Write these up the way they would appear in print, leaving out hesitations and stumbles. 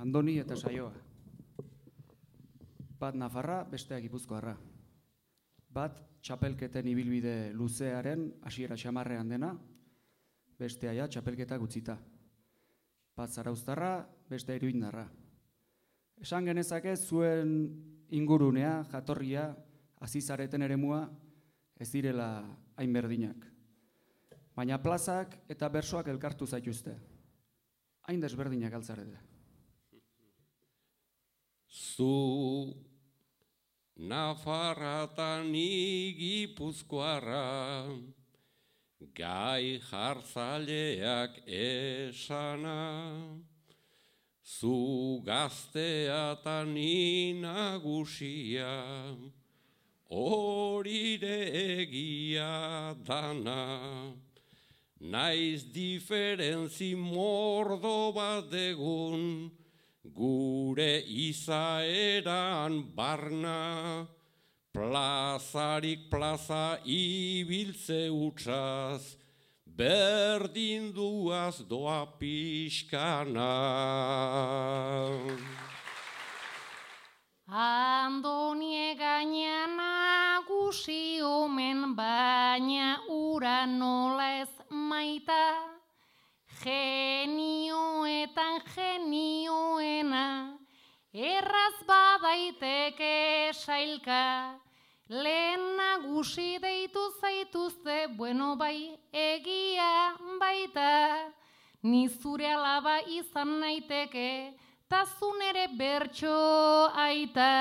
Andoni eta Saioa. Bat Nafarra, bestea Gipuzkoarra. Bat txapelketen ibilbide luzearen hasiera xamarrean dena, bestea ja txapelketak utzita. Bat Zarauztarra, bestea Iruindarra. Esan genezake zuen ingurunea, jatorria, azizareten eremua, ez direla hain berdinak. Baina plazak eta bersoak elkartu zaituzte. Hain desberdinak altzarete. Zu Nafarra eta ni Gipuzkoarra, gai jartzaileak esana. Zu gaztea eta ni nagusia, horire egia dana. Naiz diferentzi mordo bat degun, gure izaeran barna. Plazarik plaza ibiltze utzaz, berdin duaz doa pixkana. Andoni gainean nagusi omen, baina ura nola ez maita. Genioetan genioena, erraz badaiteke sailka. Lehen nagusi deitu zaituzte, bueno bai egia baita. Ni zure alaba izan naiteke, ta zu nere bertso aita.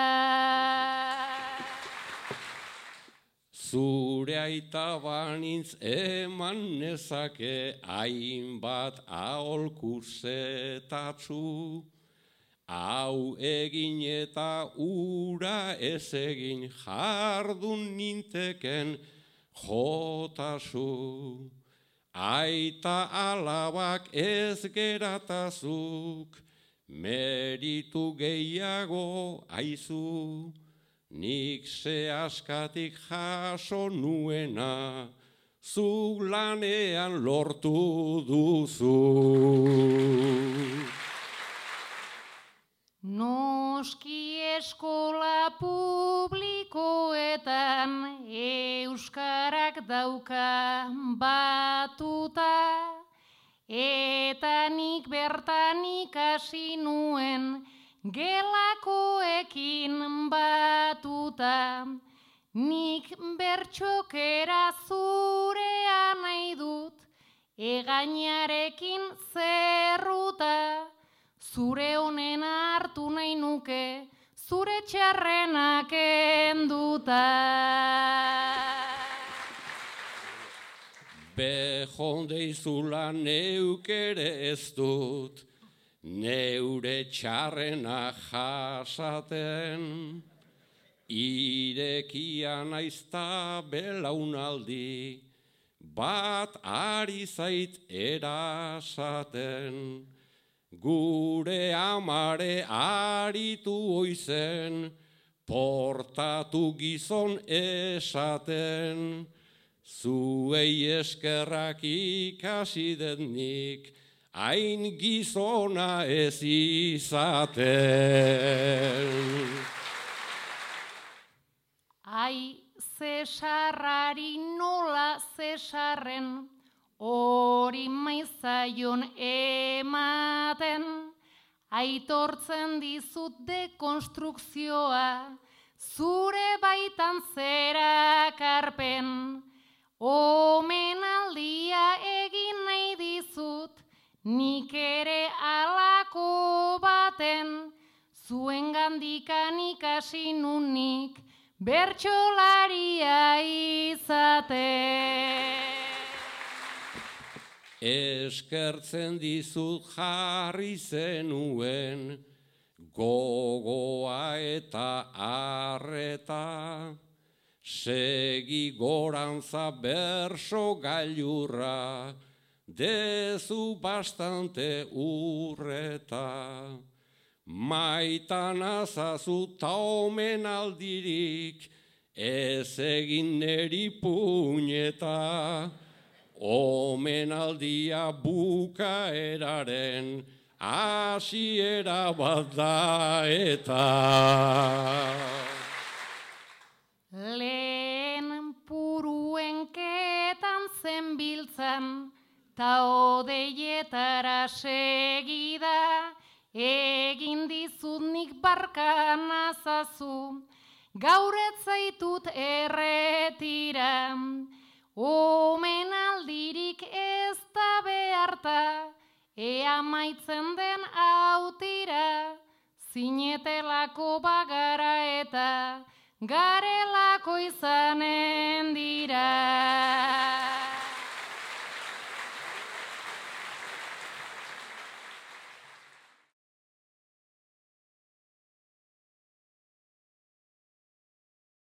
Zure aita banintz eman nezake hainbat aholkuzetatzu. Hau egin eta ura ez egin jardun ninteken jotazu. Aita alabak ez geratazuk, meritu gehiago aizu. Nik ze askatik jaso nuena, zu lanean lortu duzu. Noski eskola publikoetan euskarak dauka batuta, eta nik bertan ikasi nuen gelakoekin batuta. Nik bertxokera zurea nahi dut, egainarekin zerruta. Zure honena hartu nahi nuke, zure txarrenak enduta. Bejondeizula neuk ere ez dut, neure txarrena jasaten. Irekia naizta belaunaldi, bat ari zait erasaten. Gure amare aritu oizen, portatu gizon esaten. Zuei eskerrak ikasi denik, hain gizona ez izaten. Ai, Zesarrari nola Zesarren, hori maizaion ematen. Aitortzen dizut dekonstrukzioa, zure baitan zerakarpen. Omenaldia egin nahi dizut, nik ere alako baten. Zuengandikan ikasi nunik, bertsolaria izaten. Eskertzen dizut jarri zenuen, gogoa eta arreta. Segi gorantza berso gailurra, dezu bastante urreta. Maitan azazu ta omenaldirik, ez egin neri puñeta. Omenaldia bukaeraren hasiera bat da eta. Lehen puruenketan zenbiltzan, ta odeietara segida, egin dizut nik barkan azazu, gaur ez zaitut erretira, omenaldirik ez da beharta, ea maitzen den autira, zinetelako bagara eta garelako izanen dira.